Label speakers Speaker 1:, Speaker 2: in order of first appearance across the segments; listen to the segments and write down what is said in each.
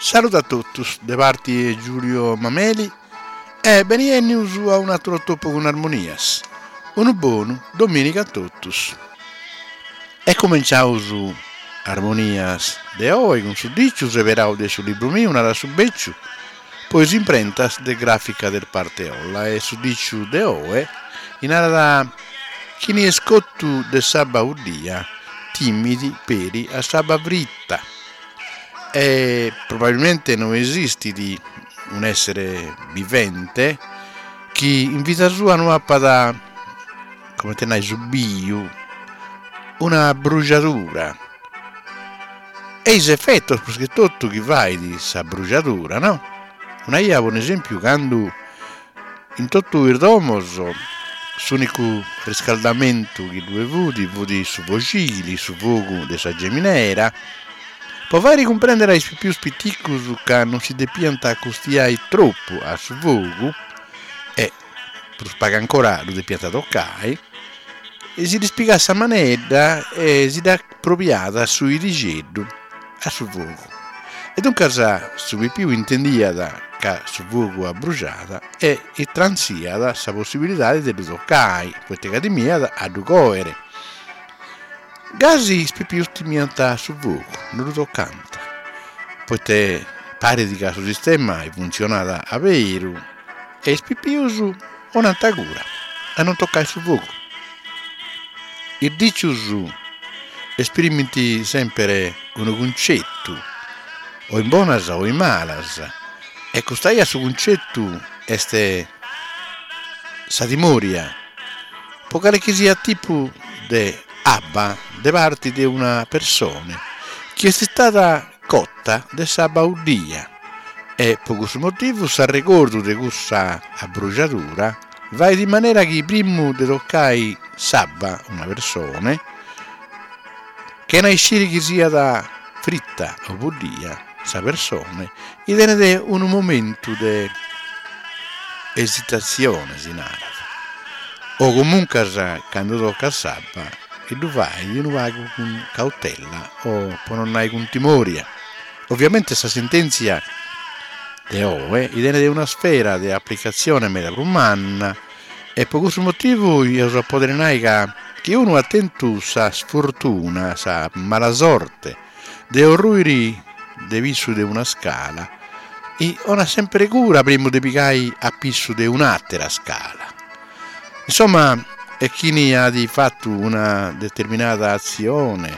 Speaker 1: Saludu a totus de parti 'e Giulio Mameli e beni 'ennius a un'aturu atopu cun Armonias. Unu bonu dominigu a totus. E cumenciaus Armonias de oi cun su diciu seberau de su libru miu Narat su Beciu po is imprentas de Grafica del Parteolla e su diciu de oi narat chini est cotu de s'abba 'uddia timit peri a s'abba frita e probabilmente no esistit un'essere vivente chi in vida sua no apat comente nai subiu una brujadura e is efetos prus che totu chi fait sa brujadura no? Una 'ia po un'esempiu candu in totu is domos s'unicu riscaldamentu chi ddue fut fut su foxili, su fogu de sa geminera, po fairi cumprendere a is pipius piticus ca non si depiant acostiai tropu a su fogu e prus pagu ancora ddu depiant tocai, si ddis pigàt sa manedda e si dda probiàt su 'idixeddu a su fogu. E duncas su pipiu intendiat ca su fogu abruxat e itransiat sa possibilidadi de ddu tocai, poita ca timiat a ddu coere. Gasi is pipius timiant su fogu, no ddu tocànt, poita parit ca su sistema funtzionat a beru e is pipius 'onant cura a non tocai su fogu. Is dicius esprimint semper unu cuncettu, o in bonas o in malas, e custa 'ia su cuncettu est sa timòria po cale chi siat tipu de abba de parti de una persone chi est istada cotta de s'abba 'uddia e po cussu motivu s'arregordu de cussa abrujadura fait in manera chi primu de tocai s'abba una persone, chena isciri chi siat fritta o buddia, sa persone i tenet unu momentu de esitatzione, si narat, o comuncas cando tocat s'abba i ddu fait unu pagu cun cautella o po non nai cun timòria. Ovviamente sa sentèntzia de oe i tenet una sfera de aplicatzione meda prus manna e po cussu motivu eus a podere nai ca chi unu at tentu sa sfortuna, sa malasorte de orruiri de pissu de una scala i 'onat sempere cura primu de pigai a pissu de un'àtera scala. Insomma e chini at fatu una determinada atzione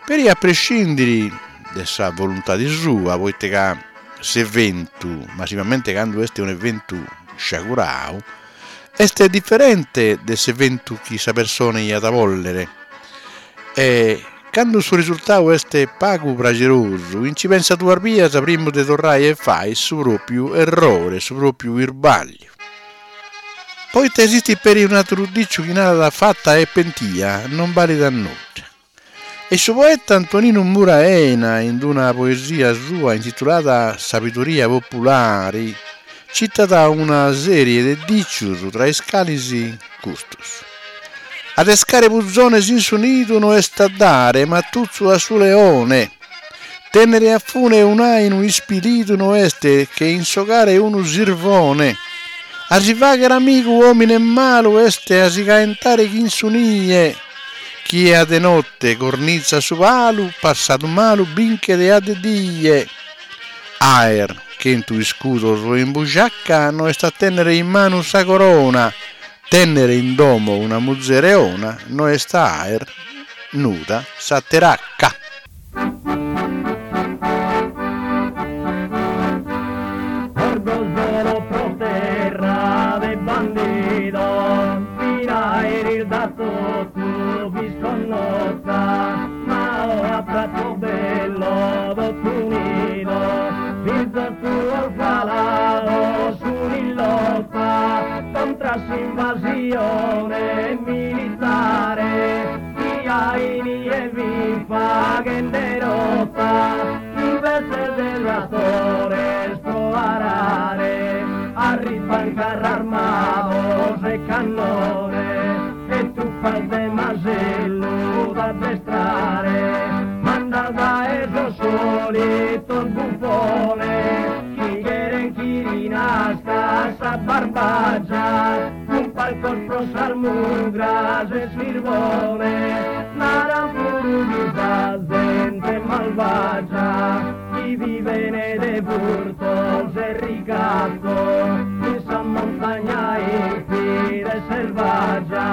Speaker 1: Peri a prescindiri de sa voluntadi sua, poita ca s'eventu, massimamente candu est un'eventu sciagurau, est diferente de s'eventu chi sa persone iat a bòllere e candu su risultau est pagu praxerosu, nci pensat duas bias primu de torrai a fai su pròpiu errore, su pròpiu irbàlliu. Poita esistit peri un'àteru dìciu chi narat fata e pentia non balit a nudda. E su poeta Antoninu Mura Ena, in una poesia sua intitulada Sabidoria populari, citat una sèrie de dìcius tra is calis custus, Adescare puzones in su nidu no est a dare matutzu a su leone. Tènnere a fune un'àinu ispilidu no est che insogare unu sirvone. A si fàghere amigu òmine malu est a si caentare chin su nie. Chie a de note cornizat su palu, passadu malu binchet a de die. Aer chentu iscudos in busciaca no est a tènnere in manu sa corona. Tènnere in domo una muzere 'ona no est a aer nuda sa teracca.
Speaker 2: Orgosolo pro terra de bandidos fina eris da totu disconnota ma oe a Pratobello totu unidos fizos tuos falados sun in lota contra s'invasione militare chi a inie fit faghende rota inveces de trattores pro arare arriban carrarmados e cannones e truppas de masellu d'addestrare mandas dae sos solitos bufones. Barbagia, cun palcos pro sas mugras e sirbone, naran puru chi sa zente malvagia chi vivene de furtos e ricattos in sa montagna infida e selvaggia,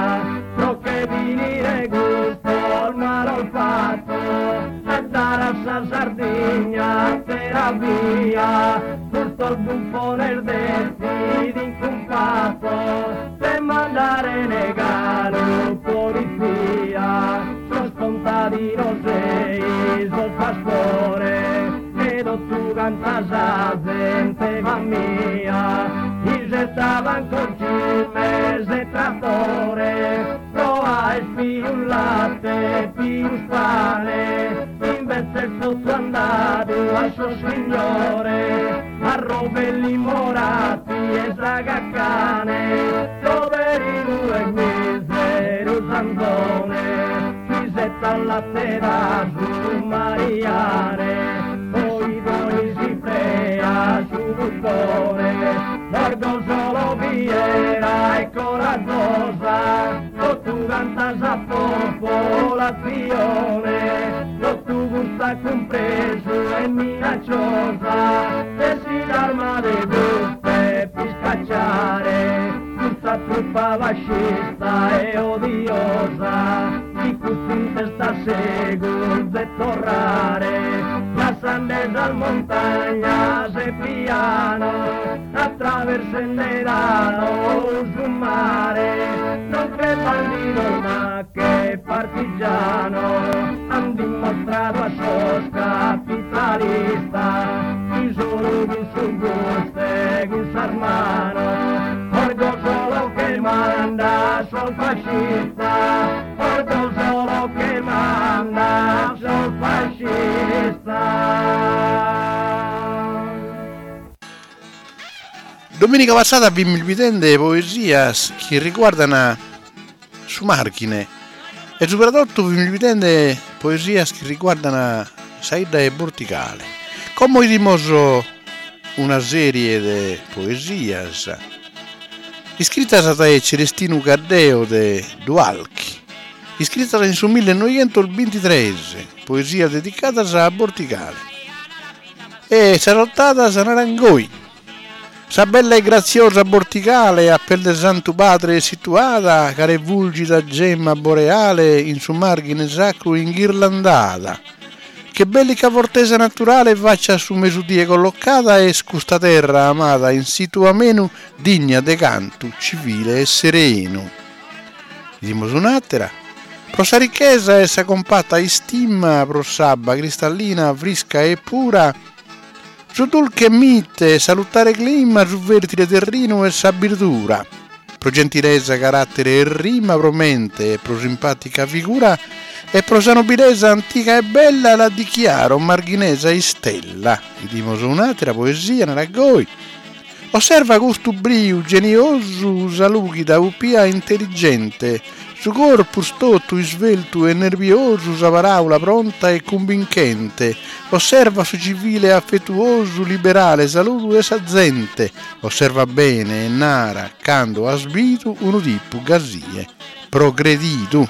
Speaker 2: pro che finire custos malos fattos e dare a sa Sardigna atera via, custos bufones detzidin cun pattos de mandare galu polizia, sos contadinos e sos pastores e totu canta sa zente famia, isettaban concimes e trattores pro aer pius latte e pius pane, invece totu andadu a sos signores, a Rovelli Moratti e Zagacane, poverinu e miseru s'anzone, ch'isettat latte da su mariane, poi poi si prea su buccone, Orgosolo fiera e coraggiosa, totu canta sa popolazione, totu custa cumpresu e minacciosa, e si l'arma de buste piscacciare, custa truppa fascista e odiosa, chi custu in testa segus de torrare, lassande sas montagnas e pianos, attraversende da su mare, non che bandidos ma che partigianos, han dimostradu a sos capitalistas, chi solu cun su gustu e cun sas manos, Orgosolo che manda sos fascistas, Orgosolo che manda sos fascistas.
Speaker 1: Domenica passada fimus bidende poesias chi riguardan su Marghine e subra totu fimus bidende poesias chi riguardan sa 'idda 'e Bortigale. Como 'idimus una serie de poesias iscritas dae Celestinu Caddeo de Dualchi, iscritas in su millenoighentos bintitres, poesias dedicadas a Bortigale. E sas otadas naran goi. Sa bella e graziosa Bortigale a pes de Santu Padre situada, cale fulgida gemma boreale in su Marghine sacru inghirlandada. Che bellica fortesa naturale faccia a su mesudie collocada est custa terra amada in situ amenu digna de cantu civile e serenu. Bidimus un'àtera. Pro sa richesa e sa cumpata istima pro s'abba cristallina frisca e pura, Su dulche mite, salutare clima, su fertile terrinu e sa birdura. Pro gentilesa, carattere e rima, pro mente e pro simpatica figura e pro sa nobilesa antica e bella la dichiaro marghinesa istella. Bidimus un'atera poesia, narat goi. Osserva custu briu geniosu, sa lughida pupia intelligente, su corpus totu isveltu e nerviosu, sa paraula pronta e cumbinchente. Osserva su civile affetuosu, liberale saludu 'e sa zente. Osserva bene e nara cando as bidu unu tipu gasie progredidu.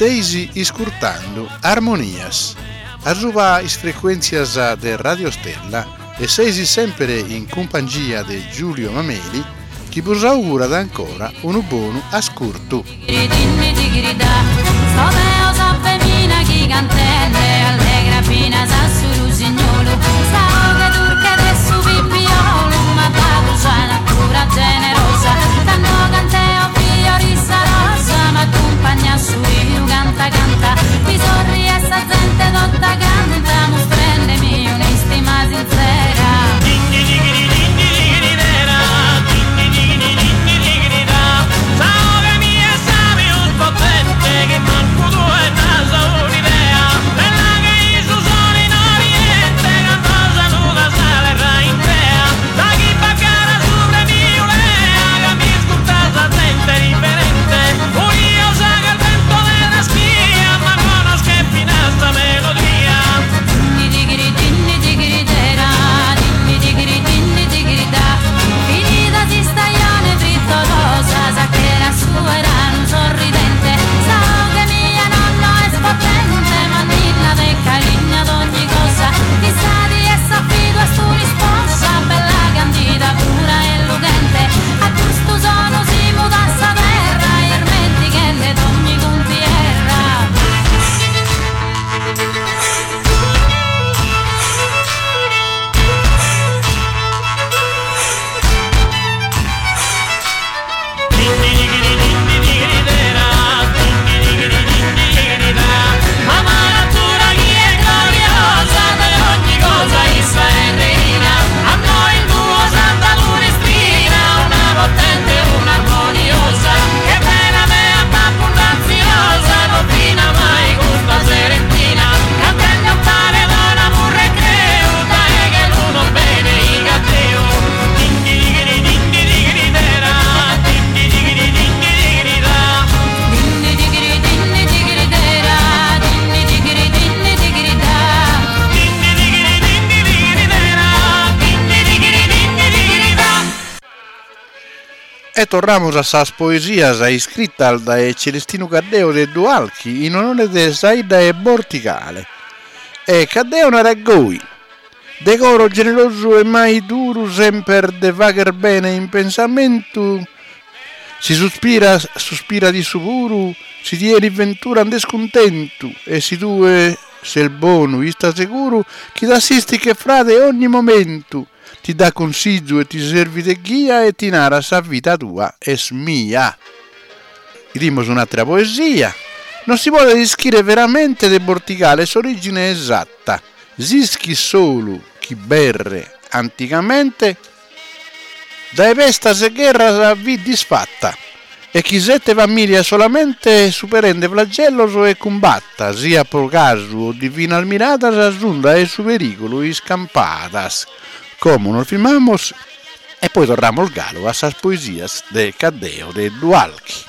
Speaker 1: Seis iscurtando Armonias. Asuba is frecuèntzias de Radio Stella e seis sèmpere in cumpangia de Giulio Mameli chi bos augurat ancora unu bonu ascurtu. E torramus a sas poesias iscritas dae Celestinu Caddeo de Dualchi in onore de sa 'idda 'e Bortigale. E Caddeo narat goi, De coro generosu e mai duru semper de fagher bene in pensamentu, si suspiras suspirat issu puru, si ti 'enit ventura nd'est cuntentu e si tue ses bonu ista seguru chi t'assistit che frade ogni momentu, Ti dat consizu e ti servit de ghia e ti narat sa vida tua est mia. Idimus un'àtera poesia. Non si podet ischire veramente de Bortigale s'orìgine esatta. S'ischit solu chi Berre antigamente dae pestas e gherras fit disfatta e chi sette famìlias solamente superende flagellos e cumbatta, siat pro casu o divinas miradas, sun dae su perìgulu iscampadas. Como nos firmamus e poi torramus galu a sas poesias de Caddeo de Dualchi.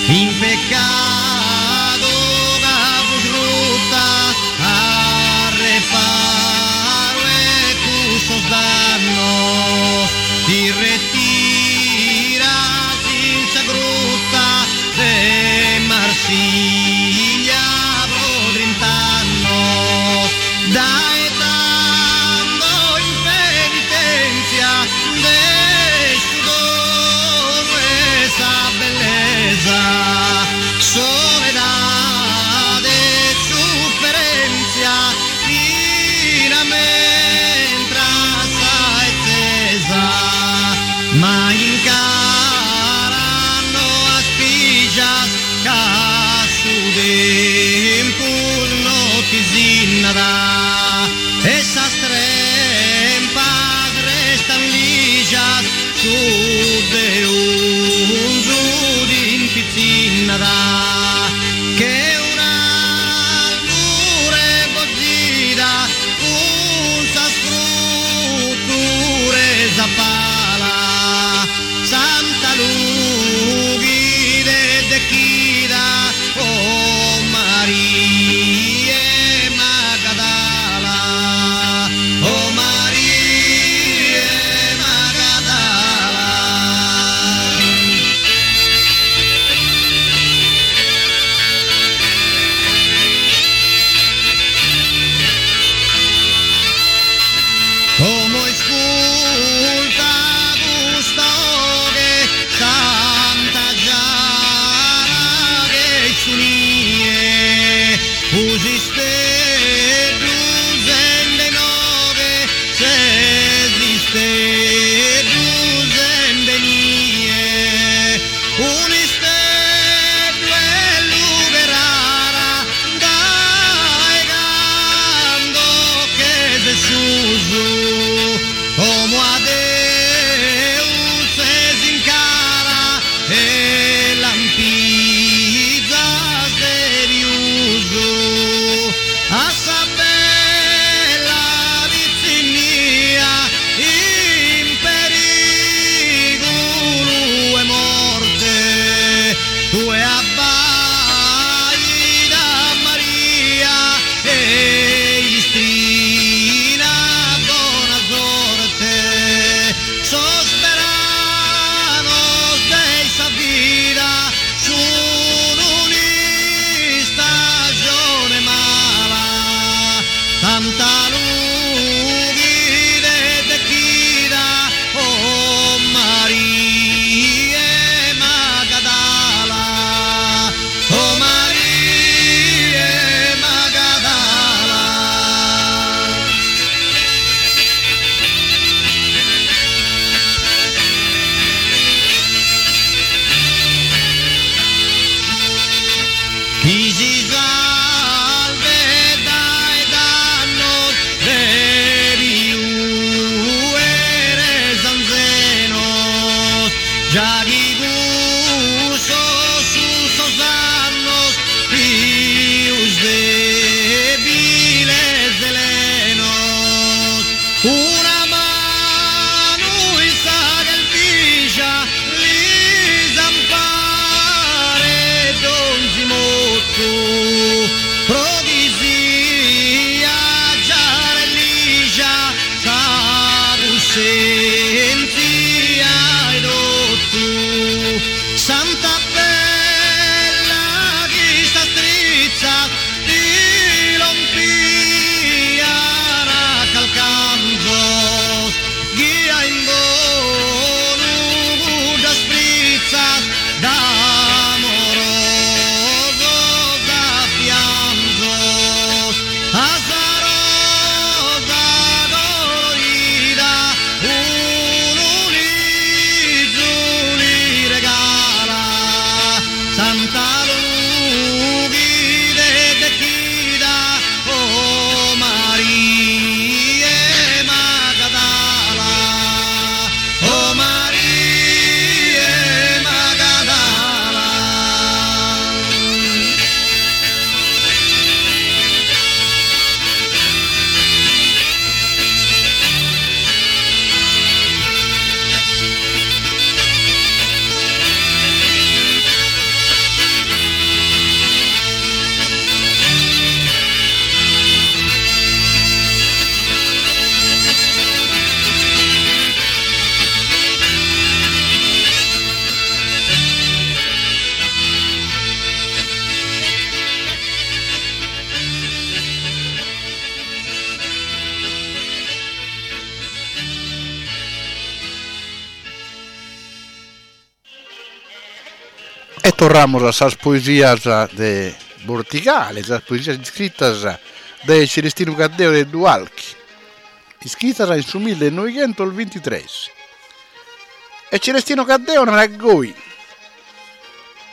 Speaker 3: In peccadu ca fus rutta a reparu 'e cussos dannos ti retiras in sa grutta de Marsiglia pro trint'annos dae tando in penitenzia de su donu 'e sa bellesa soledade e sufferenzia finamentra a sa 'ezzesa ma in cara no as pijas ca su tempus no ti sinnat e sas trempas restan lijas su deunzu t'impizzinnat che un'albure bozida cun sas frùtures a pala Santa Lughide dechida oh Maria 'e Magadala oh Maria 'e Magadala. Già chi cussos sun sos annos pius debiles e lenos. Una manu in sa chelvija lis amparet donzi motu pro chi siat giara e lija sa cussenzia 'e totu. Santa Bella chi sas trizzas ti lompian a calcanzos, ghia in bonu cuddas frizzas d'amorosos affianzos. A sa rosa colorida unu lizu li regala, Santa Lughide dechida, oh Maria Magadala, oh Maria Magadala.
Speaker 1: E torramus a sas poesias de Bortigale, sas poesias iscritas dae Celestinu Caddeo de Dualchi, iscritas in su millenoighentos bintitres. E Celestino Caddeo narat goi,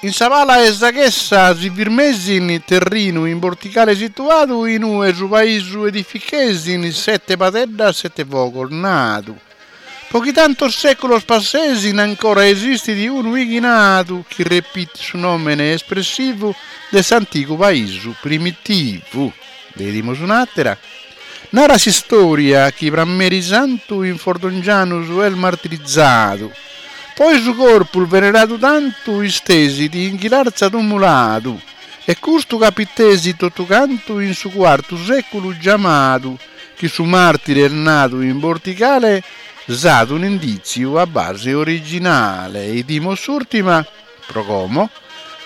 Speaker 1: In sa pala 'e sa chessa si firmesin terrinu in Bortigale situadu inue su paisu edifichesin sete padeddas sete fogos nadu. Po chi tantos seculos passesin ancora esistit unu 'ighinadu chi repitit su nomene espressivu de s'antigu paisu primitivu. Nde 'idimus un'atera. Narat s'istoria chi Prammeri Santu in Fordongianus est martirizadu. Poi su corpus veneradu tantu istesit in Ghilarza tumuladu. E custu capitesit totu cantu in su cuartu seculu giamadu chi su martire est nadu in Bortigale s'at un'inditziu a base originale. 'Idimos s'urtima, pro como,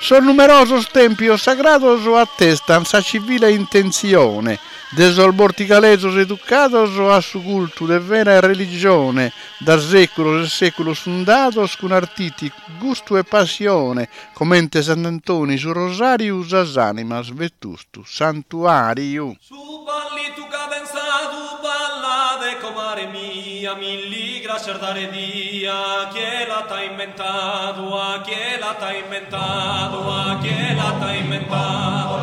Speaker 1: sos numerosos tempios sagrados atestan sa civile intentzione de sos bortigalesos educados a su cultu de vera religione da seculos e seculos fundados cun artiticu gustu e passione comente Sant'Antoni su Rosariu sas animas vetustu santuariu.
Speaker 4: Su ballitu cadenzadu ballade comare mia, milli grascias dare dia, chie l'at inventadu, a chie l'at inventadu, a chie l'at inventadu.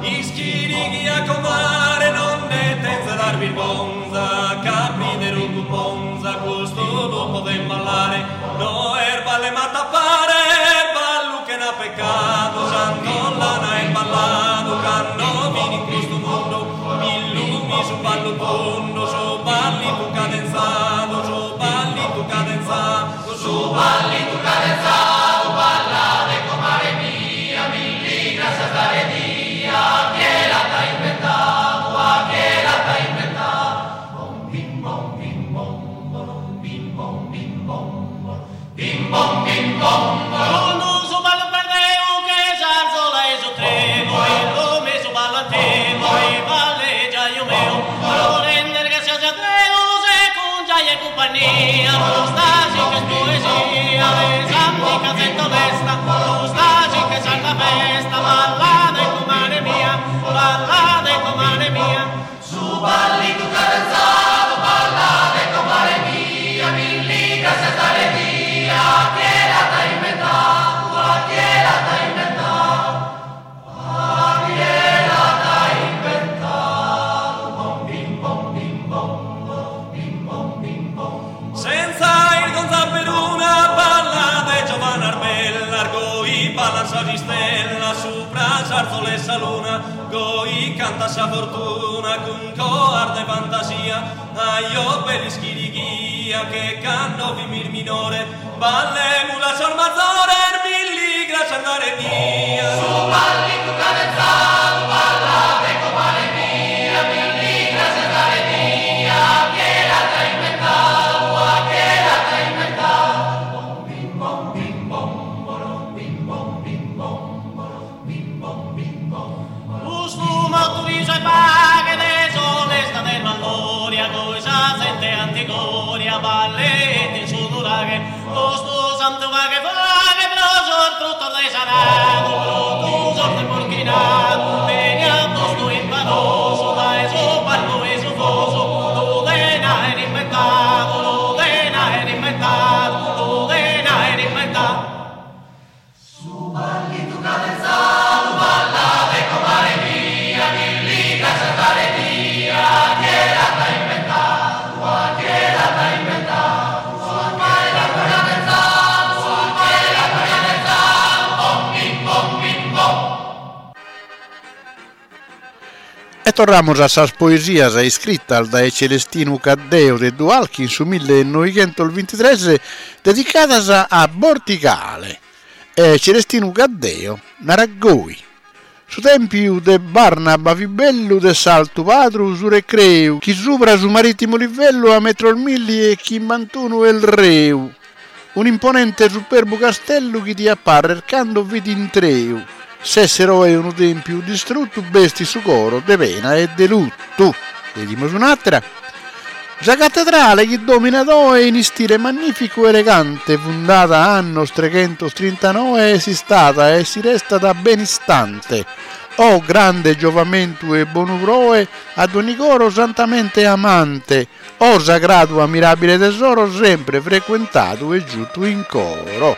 Speaker 4: Ischini chi a comare non ne tenza dar birgonza, ca prideru cun monza custu lu poden ballare, no est ball'e m'attapare, est ballu chena peccadu, Sant'Ollana est balladu cando fin in custu mundu, millu mi su ballu tundu, su ballitu cadenzadu, su ballitu cadenzadu, su ballitu cadenzadu, ballade comare mia, milli grascias dare dia, chie l'at inventadu, a chie l'at inventadu. Bom bim bom bim bom bom bim bom bim bom bim bom bim bom.
Speaker 5: Cun su ballu perdeu che s'arzola 'e su tremu, illu mi su ballu antigu, e balle giaju meu, pro render grascias a Deus e cun giaja e cumpagnia, custa sì ch'est poesia de s'antica zente onesta, custa sì ch'est sarda festa, ballade comare mia, ballade comare mia.
Speaker 4: Su ballitu cadenzadu, ballade comare mia, milli grascias dare dia, chie l'at inventadu, a chie l'at inventadu, a chie l'at inventadu. Bom bim bom bim bom bim bom bim ballan sas istellas supra s'arzola 'e sa luna, goi canta sa fortuna cun coas de fantasia, Ajò bell'ischirighia che cando fimis minore, ballemus a sos mazores milli grascias dare dia.
Speaker 6: Su ballitu cadenzadu ballade comare mia, milli grascias dare dia, chie l'at inventadu, a chie l'at inventadu. Bom bim bom bim bom borom bim bom bim bom borom bim bom bim bom.
Speaker 5: Custu mottu risu e paghe de s'onestade balloria, goi sa zente antigoria ballet in su nuraghe, custu santu faghe faghe pro sos fruttos de s'aradu, pro sos de porchinadu, beniat postu in panosu dae su palcu 'e su fosu, lu den aer inventadu, lu den aer inventadu, lu den aer inventadu.
Speaker 6: Su ballitu cadenzadu ballade comare mia, milli grascias dare dia, chie l'at inventadu, a chie l'at inventadu. Su ballitu cadenzadu, su ballitu cadenzadu, bom bim bom bim bom.
Speaker 1: E torramus a sas poesias iscritas dae Celestinu Caddeo de Dualchi in su millenoighentos bintitres dedicadas a Bortigale. E Celestinu Caddeo narat goi. Su tempiu de Barnaba fit bellu de s'altu Padru su recreu, chi subra su maritimu livellu a metros 1051 est reu. Un'imponente superbu castellu chi diat parrer cando fit intreu. S'esser oe unu tempiu distruttu bestit su coro de pena e de luttu. Leggimus un'àtera. Sa cattedrale chi dominat oe in istile magnificu e elegante, fundada annos 339 est istada e si restat benistante. Oh grande giovamentu e bonu proe a dogni coro santamente amante, oh sagradu ammirabile tesoro sempre frequentadu e giuttu in coro.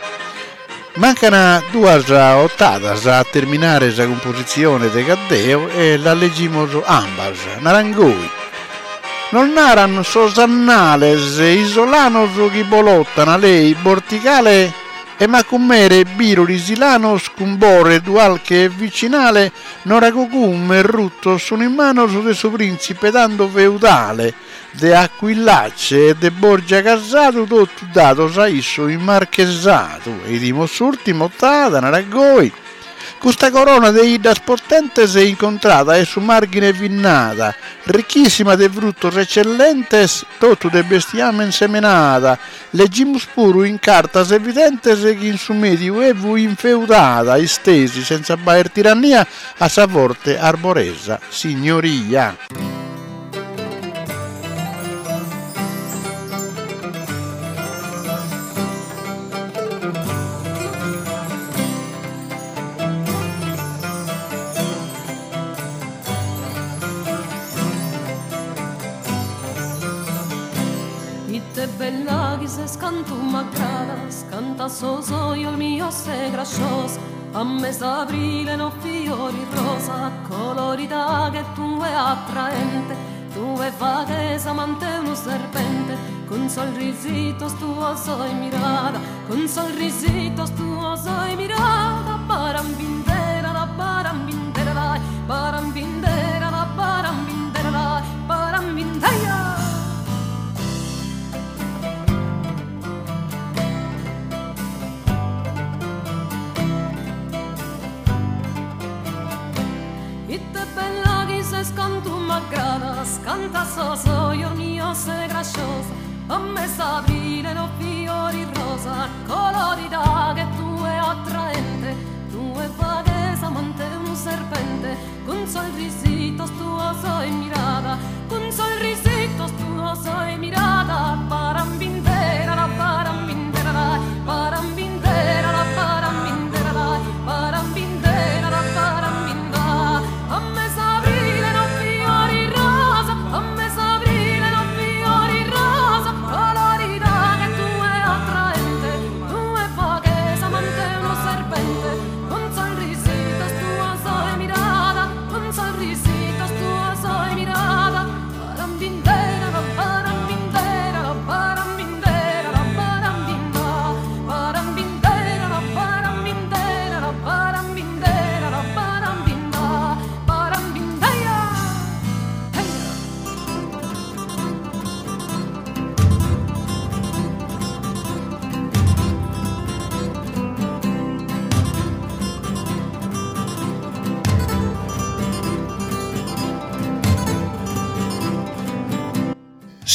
Speaker 1: Mancana duas ottadas a terminare sa cumpositzione de Caddeo e las leggimos ambas. Naran goi. Nos naran sos annales isolanos chi Bolotana, Lei, Bortigale e Macumere, Birori, Silanos cun Bore, Dualche e Vicinale, Noragugume e Ruttos sun in manos de su prìntzipe tando feudale, de Aquilace e de Borgia casadu totu dados a issu in marchesadu. E 'idimos s'ùrtima otada, narat goi. Custa corona de 'iddas potentes incontrada 'e su Marghine fit nada, ricchissima de fruttos eccellentes, totu de bestiamen semenada. Leggimus puru in cartas evidentes chi in su Mediu Evu infeudada istesi senza b'aer tirannia a sa forte arboresa signoria.
Speaker 7: Ite bella chi ses cantu m'aggradas, canta sos ojos mios ses grasciosa, a mes'abrile no fiori rosa, colorida che tue attraente, tue faghes amante unu serpente, cun sos risitos tuos e mirada, cun sos risitos tuos e mirada, barambindera la barambindera la, barambindera la barambindera la, barambindera. Ite bella chi ses cantu m'aggradas, canta sos ojos mios ses grasciosa, a mes'abrile no fiori rosa, colorida che tue attraente, tue faghes amante unu serpente, cun sos risitos tuos e mirada, cun sos risitos tuos e mirada, barambindera la barambindera la, barambindera la barambindera la, barambindera la barambinda, a mes'abrile no fiori rosa, a mes'abrile no fiori rosa, colorida che tue attraente, tue faghes amante unu serpente, cun sos risitos tuos e mirada, cun sos risitos tuos e mirada, barambindera la barambindera.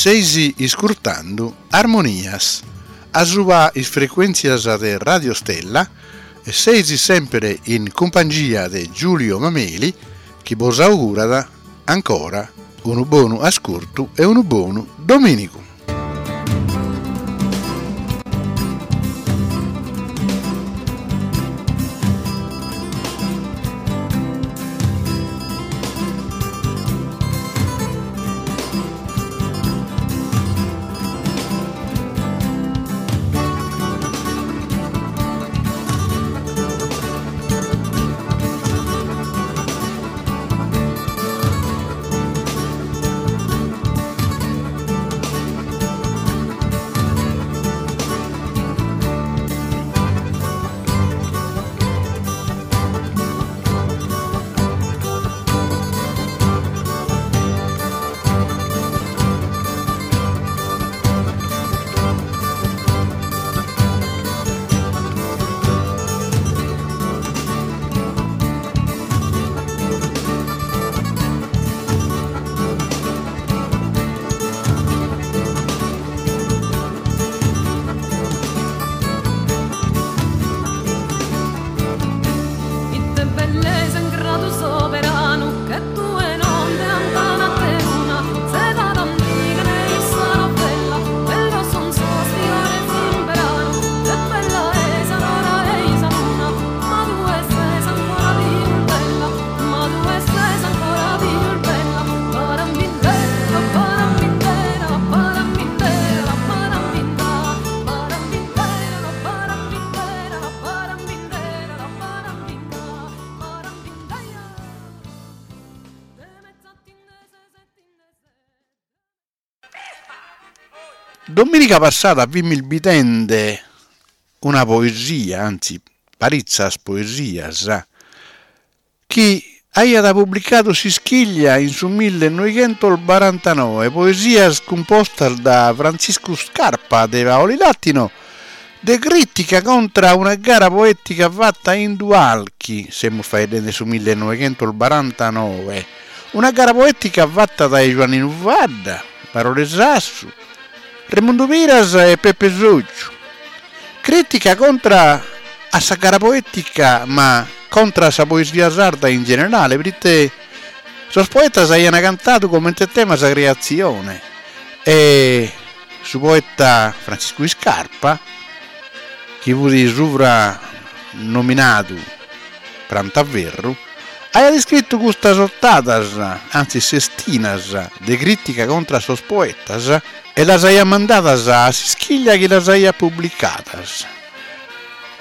Speaker 1: Seis iscurtando Armonias asuba is frecuèntzias de Radio Stella e seis semper in cumpangia de Giulio Mameli chi bos augurat ancora unu bonu ascurtu e unu bonu domìnigu.
Speaker 7: Ite bellesa in gradu soberanu che tue non de antana peruna zeda d'antiga ne issa novella bellos son sos fiores in beranu e bella est s'aurora e-i sa luna ma tue ses ancora pius bella ma tue ses ancora pius bella parambindera parambindera parambindera parambinda parambindera parambindera parambindera parambinda parambindaia
Speaker 1: Dominica passada fimis bidende una poesia, anzi paritzas poesias, chi aiat publicadu S'Ischiglia in su millenoighentos barantanoe, poesias cumpostas da Frantziscu Scarpa de Paulilatino, de crìtica contra a una gara poètica fata in Dualchi, semus faeddende su millenoighentos barantanoe, una gara poètica fata dae Giuanninu Fadda, Barore Sassu, Remundu Piras e Peppe Sotgiu. Crìtica contra a sa gara poètica ma contra a sa poesia sarda in generale, prite sos poetas aiant cantadu comente tema sa creatzione e su poeta Frantziscu Iscarpa, chi fut subra nominadu Prantaferru, aiat iscritu custas otadas, antzis sestinas, de crìtica contra a sos poetas e las aiat mandadas a S'Ischiglia chi las aiat publicadas.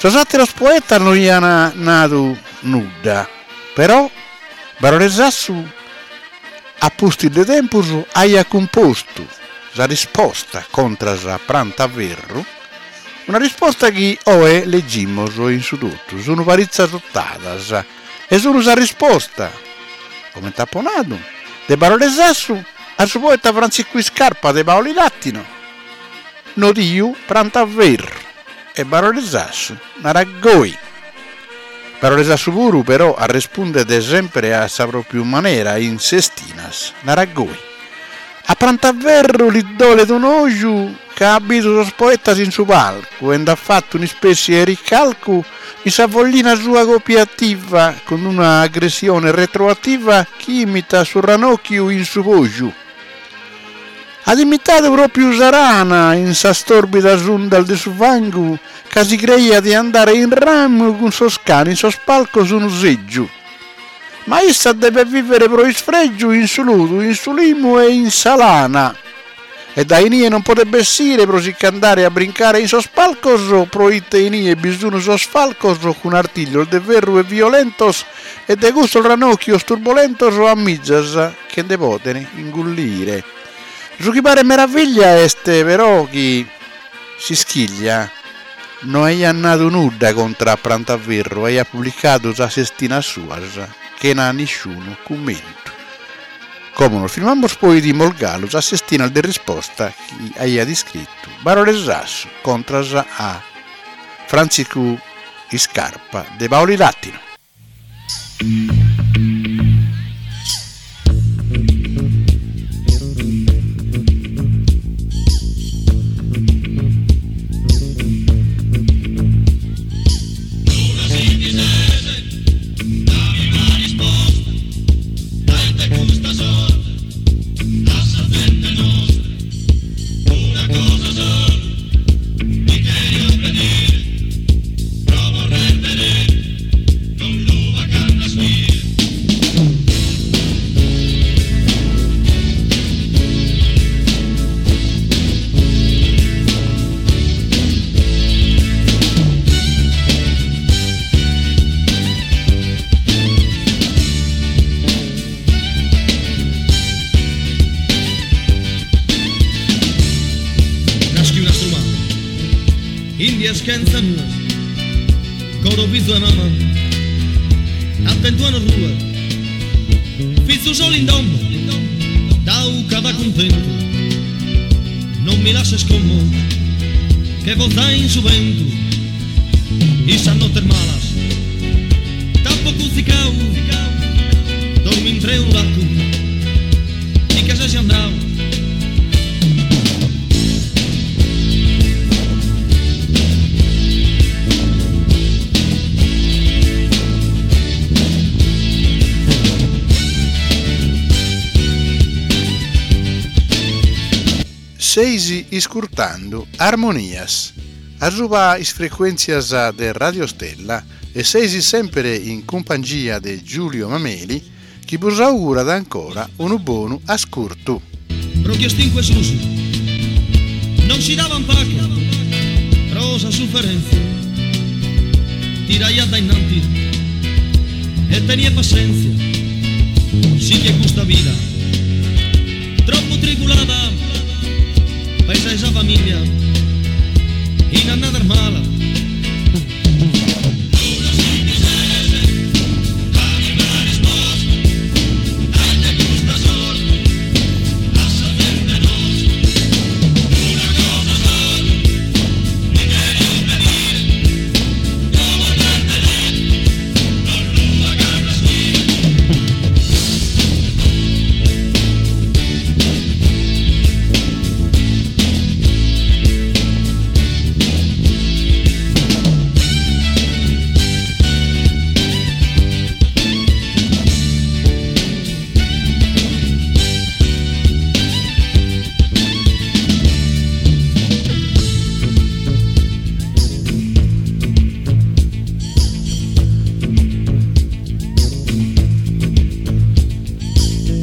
Speaker 1: Sos àteros poetas no aiant nadu nudda, però Barore Sassu a pustis de tempus aiat cumpostu sa risposta contras a Prantaferru, una risposta chi oe legimus in su totu, sun paritzas otadas e sun sa risposta, comente apo nadu, de Barore Sassu a su poeta Frantziscu Iscarpa de Paulilatino, nodiu Prantaferru, e Barore Sassu narat goi. Barore Sassu puru però arrespundet sempre a sa pròpiu manera in sestinas, narat goi. A Prantaferru li dolet un'oju ca at bidu sos poetas in su palcu e nd'at fatu un'ispèssie 'e ricalcu in sa foglina sua copiativa cun una aggressione retroativa chi imitat su ranocchiu in su poju. At imitadu pròpiu sa rana in sas tòrbidas undas de su fangu ca si creiat de andare in ramu cun sos ch'an in sos palcos unu sègiu. Ma issa devet vìvere pro isfrègiu in su ludu, in su limu e in sa lana. E dae inie non podet bessire pro si ch'andare a brincare in sos palcos, proite inie bi sun sos falcos cun artiglios de ferru e violentos e de cussos ranocchios turbolentos a mizas che nde poden ingullire. Su chi paret meraviglia est però chi S'Ischiglia no aiat nadu nudda contra a Prantaferru, aiat publicadu sas sestinas suas chena nisciunu cummentu. Como nos firmamus poi 'idimus galu sas sestinas de risposta chi aiat iscritu Barore Sassu contras a Frantziscu Iscarpa de Paulilatino.
Speaker 3: Dies chentza nues, coro fizu 'e mama, attentu a no ruer, fizu solu in domo, dau cada cuntentu, non mi lasses como, che foza in su bentu, in sas nottes malas, t'apo cuzicau, dormi intr'e unu laccu, ti che ses andau.
Speaker 1: Seis iscurtando Armonias, asuba is frecuèntzias de Radio Stella e seis semper in cumpangia de Giulio Mameli chi bos augurat ancora unu bonu ascurtu.
Speaker 3: Pro chi est in cue susu non si daban pache pro sa sufferentzia tiraiat dainnanti e teniat passentzia sighe custa vida troppu tribulada pesai sa familia in annadas malas.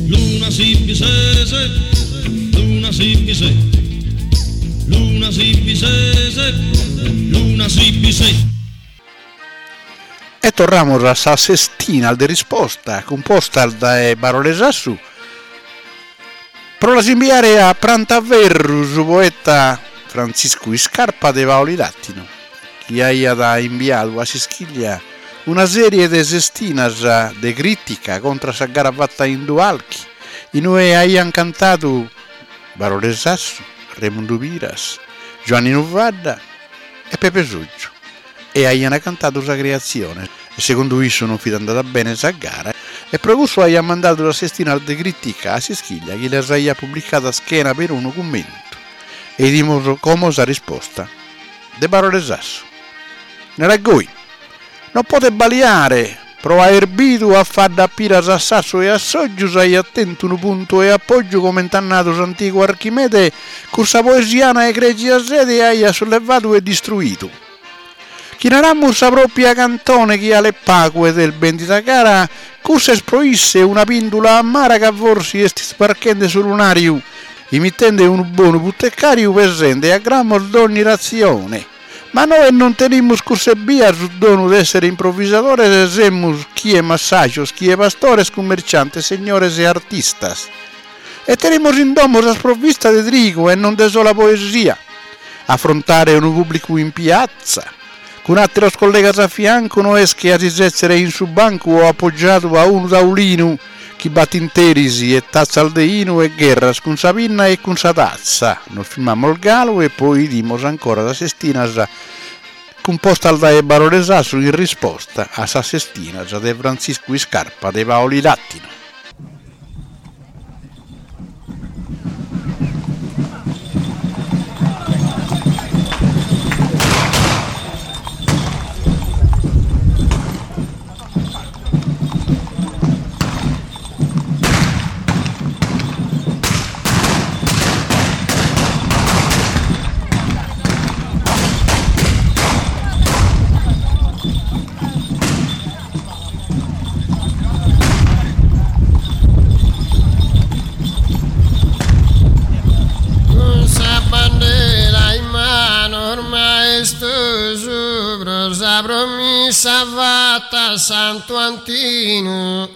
Speaker 3: Luna si bi ses, luna si bi ses, luna si bi ses, luna si bi ses.
Speaker 1: E torramus a sa sestina de risposta cumposta dae Barore Sassu pro las imbiare a Prantaferru su poeta Frantziscu Iscarpa de Paulilàtinu, chi aiat imbiadu a S'Ischiglia una sèrie de sestinas de crìtica contra sa gara fata in Dualchi, in ue aiant cantadu Barore Sassu, Remundu Piras, Giuanninu Fadda e Pepe Sotgiu e aiant cantadu sa creatzione. Segundu issu non fit andada bene sa gara e pro cussu aiat mandadu sas sestinas de crìtica a S'Ischiglia chi las aiat publicadas chena perunu cummentu. E 'idimus como sa risposta de Barore Sassu. Narat goi, Non podet baliare, pro aer bidu a Fadda Piras a Sassu e a Sotgiu s'aiat tentu unu puntu 'e apoggiu comente at nadu s'antigu Archimede cun sa poesiana egregia sede aiat sullevadu e distruidu. Chi naramus sa propia cantone chi 'alet pagu ed est bendida cara, cussa est pro isse una pindula amara ca forsi est isbarchende su lunariu, imitende unu bonu putecariu pesende a gramos dogni ratzione. Ma nois non tenimus cuss'ebbia su donu d'essere improvisadores semus chie massajos chie pastores cummerciantes segnores e artistas e tenimus in domo sas provvistas de trigu e non de sola poesia afrontare unu pubblicu in piatza cun ateros collegas a fiancu no est che a si setzere in su bancu o appoggiadu a unu taulinu chi b'at tinteris e tatzas de 'inu e gherras cun sa pinna e cun sa tatza. Nos firmamos galu e poi 'idimos ancora sas sestinas cumpostas dae Barore Sassu in risposta a sas sestinas de Frantziscu Iscarpa de Paulilàtinu.
Speaker 8: Cun sa bandera in manos maestosu pro sa promissa fatta a Santu Antinu,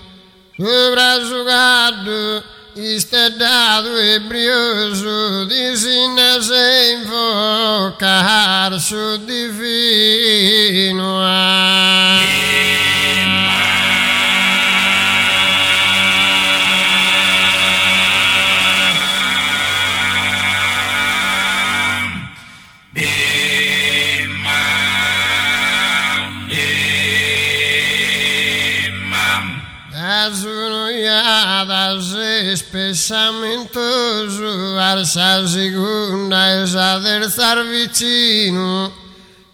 Speaker 8: subra su caddu Isteddadu e briosu disinnas 'e invocar su divinu. Das un'ojada ses pessamentosu a sa segunda e sa terza vicinu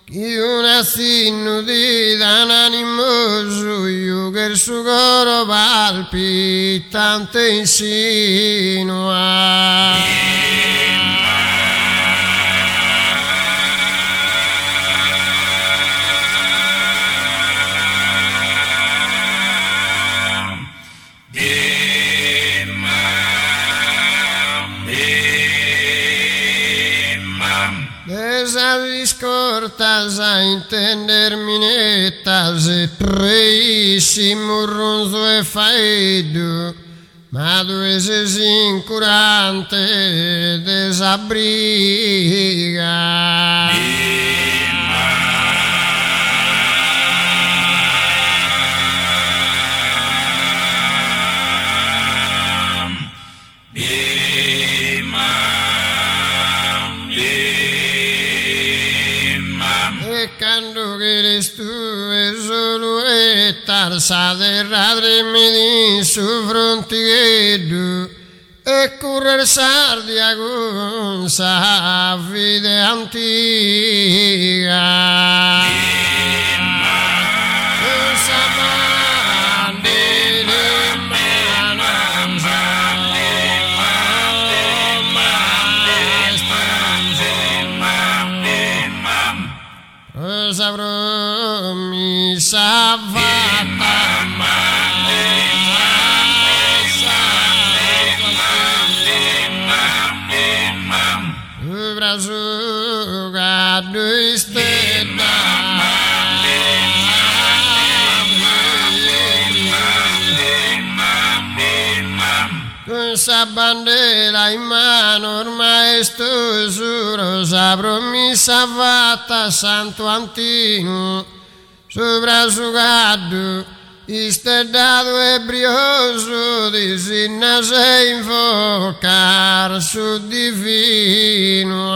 Speaker 8: chi un'atzinnu ti dan animosu jugher su coro palpitante in sinu. De sas iscortas a intender minettas e preissi murrunzu e faeddu, ma tue ses incurante de sa briga. E cando cheres tue solu 'ettar sa terra tremit in su frontigheddu e currer s'Ardia cun sa fide antiga. Sa promissa fatta Subra su caddu isteddadu Cun sa bandera in manos maestosu pro sa promissa fatta a Santu Antinu Subra su caddu isteddadu e briosu disinnas 'e invocar su divinu.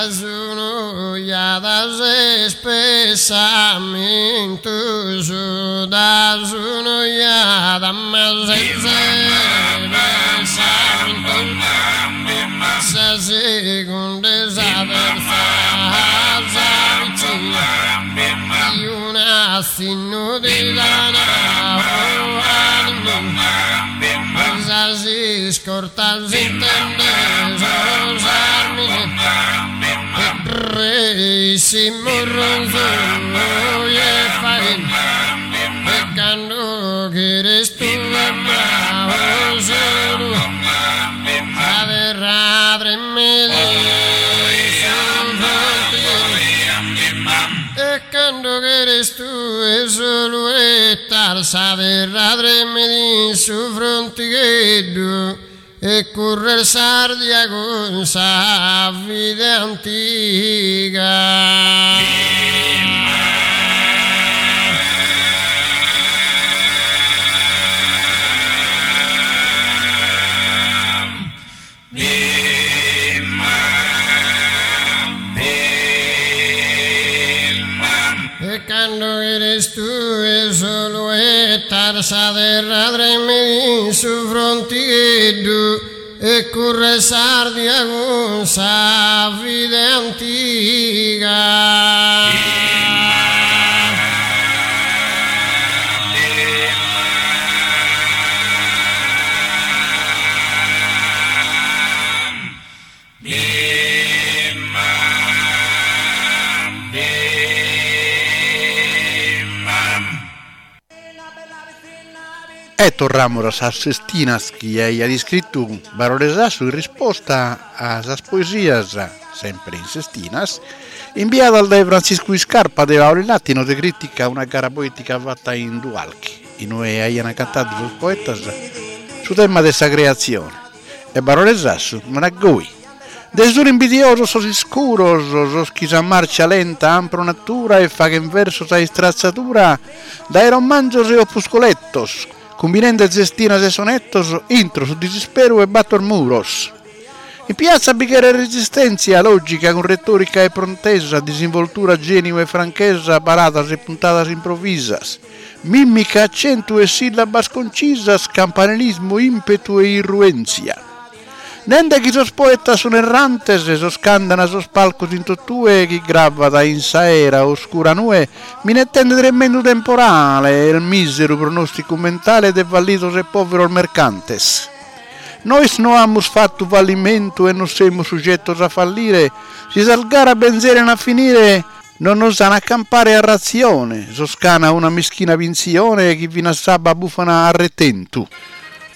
Speaker 8: Das un'ojada ses pessamentosu, das un'ojada ma ses pessamentosu, sa segunda e sa terza sa vicina, chi un'atzinnu ti dan animosu, sas iscortas intendes sas minettas, Reisi murrunzu e faeddu E cando cheres tue ma solu Sa terra tremet in su frontigheddu E cando cheres tue solu 'ettar Sa terra tremet in su frontigheddu E currer s'Ardia cun sa fide antiga. E cando cheres tue solu 'ettar sa terra tremet in su frontigheddu e currer s'Ardia cun sa fide antiga.
Speaker 1: E torramus a sas sestinas chi aiat iscritu Barore Sassu in risposta a sas poesias, sempre in sestinas, imbiadas dae Frantziscu Iscarpa de Paulilàtino de crìtica a una gara poètica fata in Dualchi, in ue aiant cantadu sos poetas su tema de sa creatzione. E Barore Sassu narat goi. Nde sun imbidiosos sos iscuros, sos chi sa marcia lenta han pro natura e faghen versos a istratzadura dae romanzos e opuscolettos, cumbinende sestinas e sonettos intro su disisperu 'e battor muros. In piatza bi cheret resistèntzia lògica cun retòrica e prontesa, disinvoltura, gèniu e franchesa, paradas e puntadas improvisas, mìmica, acentu e sìllabas concisas, campanilismu, ìmpetu e irruèntzia. Nende chi sos poetas sun errantes, sos ch'andan a sos palcos in totue, chi gravat in s'aera oscura nue, minettende tremendu temporale, est miseru pronosticu mentale de fallidos e poveros mercantes. Nois no amus fattu fallimentu e non semus suggettos a fallire, si sas garas benzeren a finire, non nos an a campare a ratzione, sos ch'ana una mischina pintzione chi finas s'abba bufan a retentu.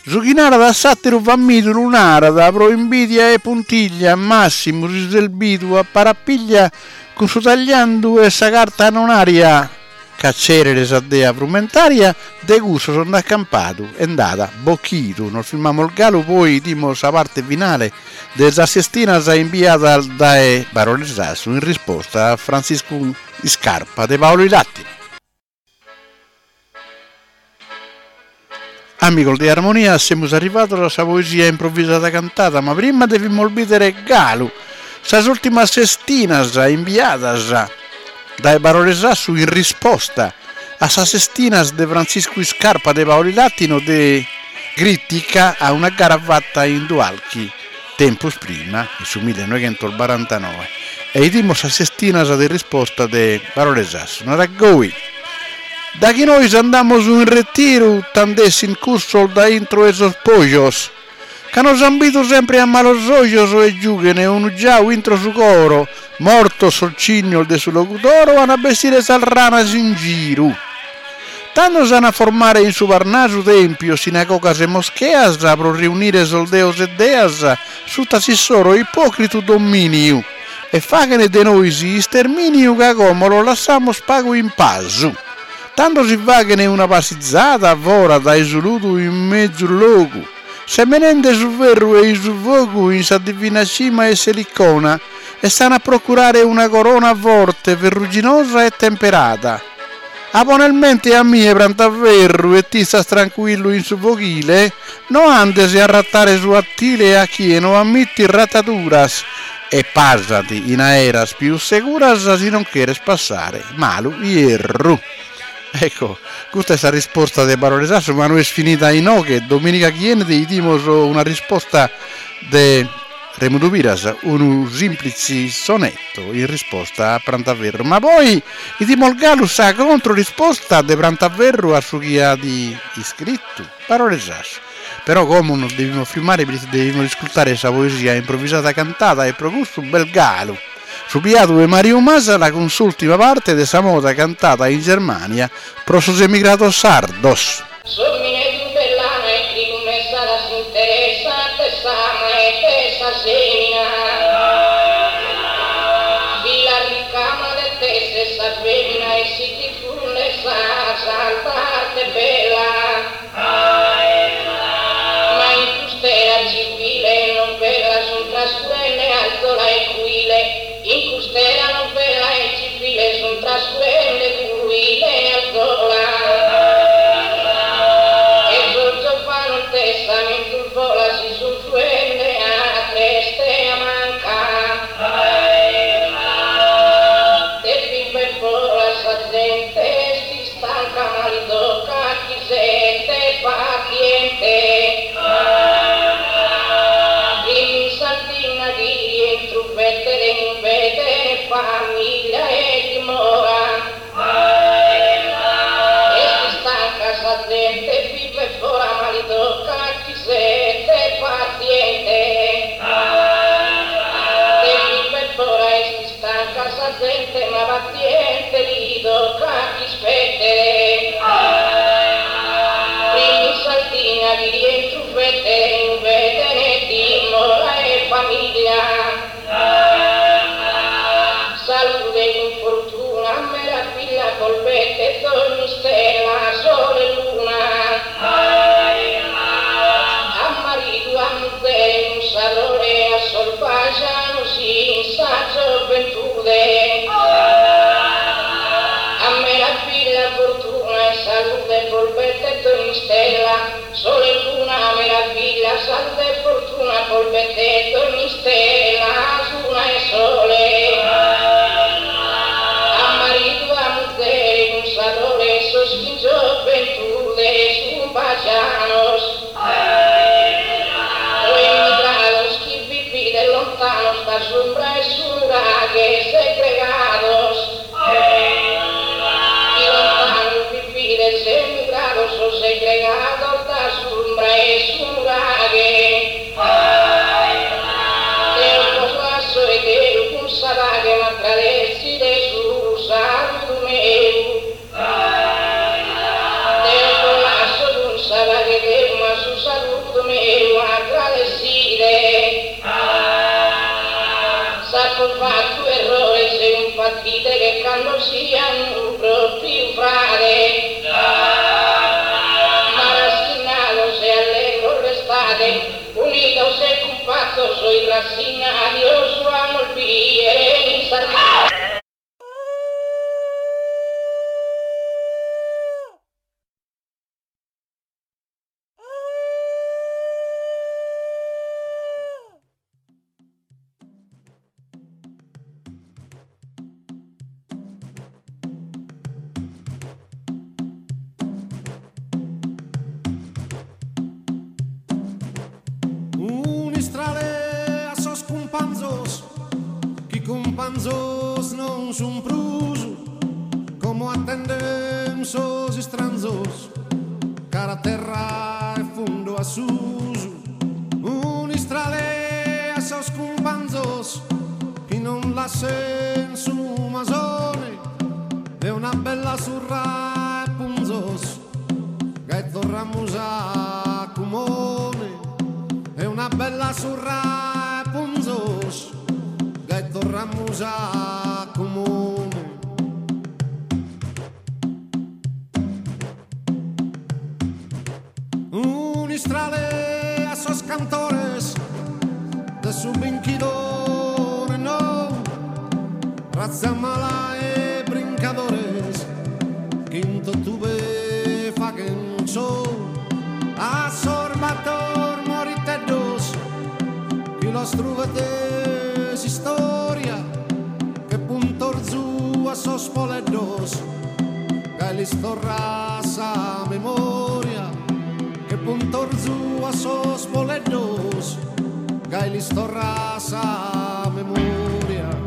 Speaker 1: Su chi narat a s'àteru famidu lu narat pro imbìdia e puntiglia, màssimu si s'est bidu a parapiglia cun su tagliandu e sa carta annonaria, ca Cerere sa dea frumentaria de cussos nd'at campadu e nd'at bochidu. Nos firmamos galu poi 'idimos sa parte finale de sas sestinas imbiadas dae Barore Sassu in risposta a Frantziscu Iscarpa de Paulilàtinu. Amigos de Armonia, semus arrivados a sa poesia improvisada cantada, ma prima devimus bìdere galu sas ùrtimas sestinas imbiadas dae Barore Sassu in risposta a sas sestinas de Frantziscu Iscarpa de Paulilàtino de crìtica a una gara fata in Dualchi tempus prima, in su millenoighentos-barantanoe, e 'idimus sas sestinas de risposta de Barore Sassu. Narat goi, Da chi nois andamus in retiru tand'essin cussos da intro 'e sos pojos, ca nos an bidu sempre a malos ojos e giughen unu giau intro su coro, mortos sos cignos de su Logudoro an a bessire sas ranas in giru. Tando s'an a formare in su Parnasu tèmpios, sinagogas e moscheas pro riunire sos deos e deas suta s'issoro ipòcritu domìniu e fàghene de nois istermìniu ca como los lassamos pagu in pasu. Tando si fàghene una passizada fora dae su ludu in mezus logu, semenende su ferru e-i su fogu in sa divina cima 'e s'Elicona e s'an a procurare una corona forte, ferruginosa e temperada. A poner mente a mie Prantaferru e t'istas trancuillu in su foghile, no andes a rattare su 'attile a chie no ammittit rattaduras e pàsati in aeras pius seguras si non cheres passare malu ierru. Ecco, custa est sa risposta de Barore Sassu, ma no est finida inoghe, dominica chi 'enit 'idimos una risposta de Remundu Piras, unu sìmplitze sonetto in risposta a Prantaferru. Ma poi 'idimos galu sa controrisposta de Prantaferru a su chi at iscritu Barore Sassu. Però como nos devimus firmare proite devimus iscultare sa poesia improvisada cantada e pro cussu b'est galu su biadu 'e Mariu Masala cun s'ùltima parte de sa moda cantada in Germania pro sos emigrados sardos.
Speaker 9: S'omine bellana 'e trigu messada s'interessat de s'ama e de sa semina. Si la ricama de tesser sa femina e si difundet sa santa arte bella. Ma in cust'era civile e novella sun trascurende alzola e cuile, in cust'era novella e civile sun trascurende cuile e alzola. E sos giovanos de sa menzus fola si sun fuende a dresta e a manca. De viver fora sa zente est istanca ma li tocat chi siet paziente. Primu in Sardigna chi rientru fetet in bene famiglia e dimora. Est istanca sa zente 'e viver fora ma li tocat chi siet paziente. De viver fora est istanca sa zente ma paziente li tocat ch'ispettet. Primu in. gioventude. A meraviglia, fortuna e salute, polpette e stella, sole e luna, meraviglia, salute e fortuna, polpette e stella, luna e sole. A marito, a muzere, un sadore, sos in gioventude, sun bacianos. O emigrados chi vivide lontanos da sombra e suraghe segregados. Y lontanos vivides emigrados o segregados da sombra e suraghe. Deo vos lasso e Deo cun sabaghe m'aggradessi de su saludo meu. Deo vos lasso cun sabaghe Deo ma su saludo meu aggradesside. S'apo fatto errore se un partite che quando siano proprio frade. Ma rassegnados e allegro restate, unidos e compattos oi rassignati, os amo il biere in Sardegna.
Speaker 10: Unistrale a sos cumpanzos, chi cumpanzos non sun prus, como attenden sos istranzos, cara terra e fundo a susu. Unistrale a sos cumpanzos, chi non lassen su masone, e una bella surra e punzos, che torramus a cumone. E una bella surra e punzos, che torramus a comune. Unistrale a sos cantores de su binchidore no, razza mala e brincadores, quinto tube faghen show, a sorbator moriteddos, chi los truvetes storia, che puntorzu a sos poleddos, che lis torra sa memoria, che puntorzu a sos poleddos, che lis torra sa memoria.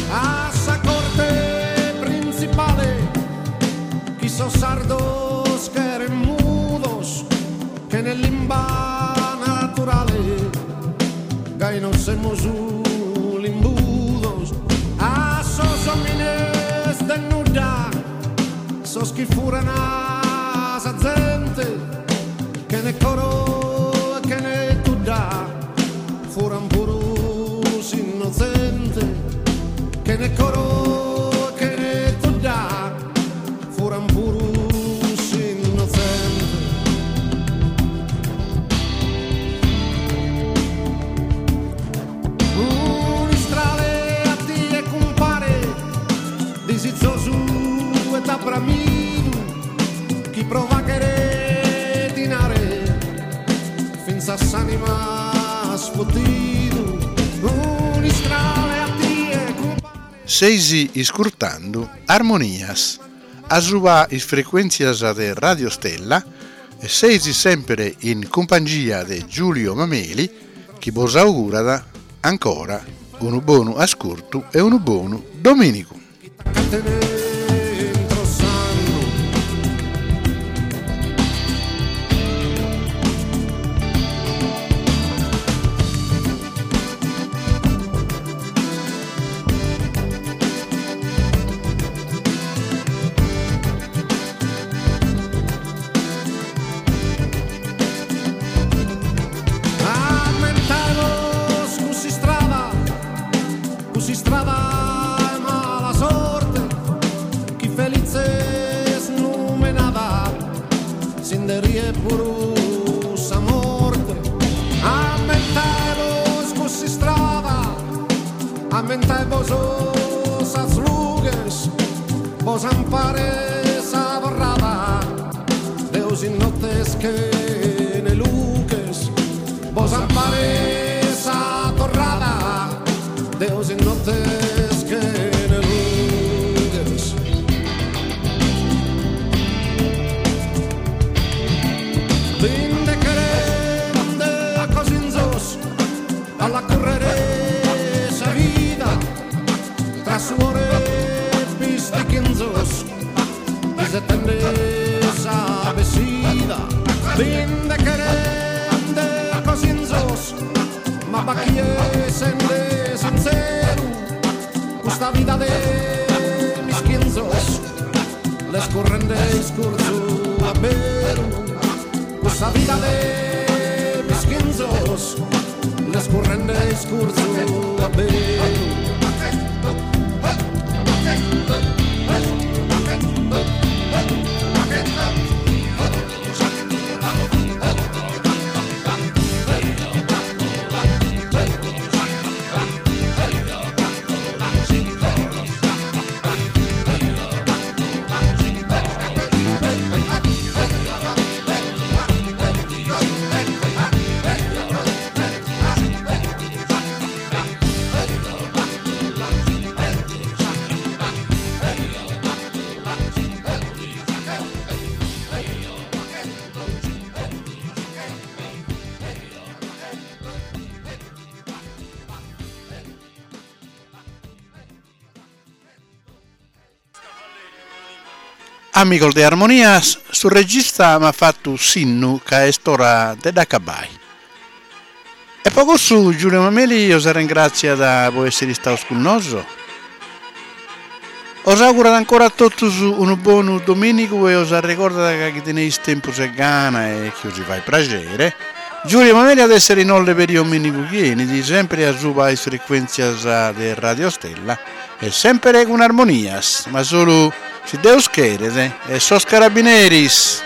Speaker 10: A sa corte principale, chi sos sardos cheren mudos, che nel limba naturale, gai non semus limbudos. A sos homines de nudda, sos chi furan a sa zente, che ne coro e che ne tudda, furan puru s'innocente, che ne coro e che ne tudda, furan puru s'innocente. Unistrale a tie compare, disizzosu e t'abramidu, chi prova che dinare, finza s'anima sfottidu. Unistrale a tie compare.
Speaker 1: Seisi iscurtando Armonias, a suba is frequenzias de Radio Stella e seisi sempre in compagnia de Giulio Mameli, chi vos augurada ancora un buon ascolto e un buon domenico.
Speaker 10: Dentro sanno. A puru sa morte. Ammentàebos cuss'istrada, ammentàebos sas lughes, bos amparet sa torrada, Deus in nottes chene lughes, bos amparet sa torrada, Deus in nottes chene lughes. Binde cherende a cosinzos a la currere sa vida tra suore e pistichinzos isettende sa bessida binde cherende a cosinzos ma b'at chie sende sintzeru custa vida de mischinzos l'est currende iscurzu a beru custa vida de mischinzos l'est currende iscurzu a beru.
Speaker 1: Amigos de Armonias, su regista m'at fatu sinnu ca est ora de dd'acabai. E po cussu Giulio Mameli os arrengràtziat po èssiri istaus cun nosu. Os augurat ancora a totus unu bonu domìnigu e os arregordat ca chi teneis tempus e gana e chi os fait praxere, Giulio Mameli at èssiri in Olle peri domìnigu chi 'enit, sempri asuba is frecuèntzias de Radio Stella e sempri cun Armonias, ma solu si Deus cheret e sos carabineris.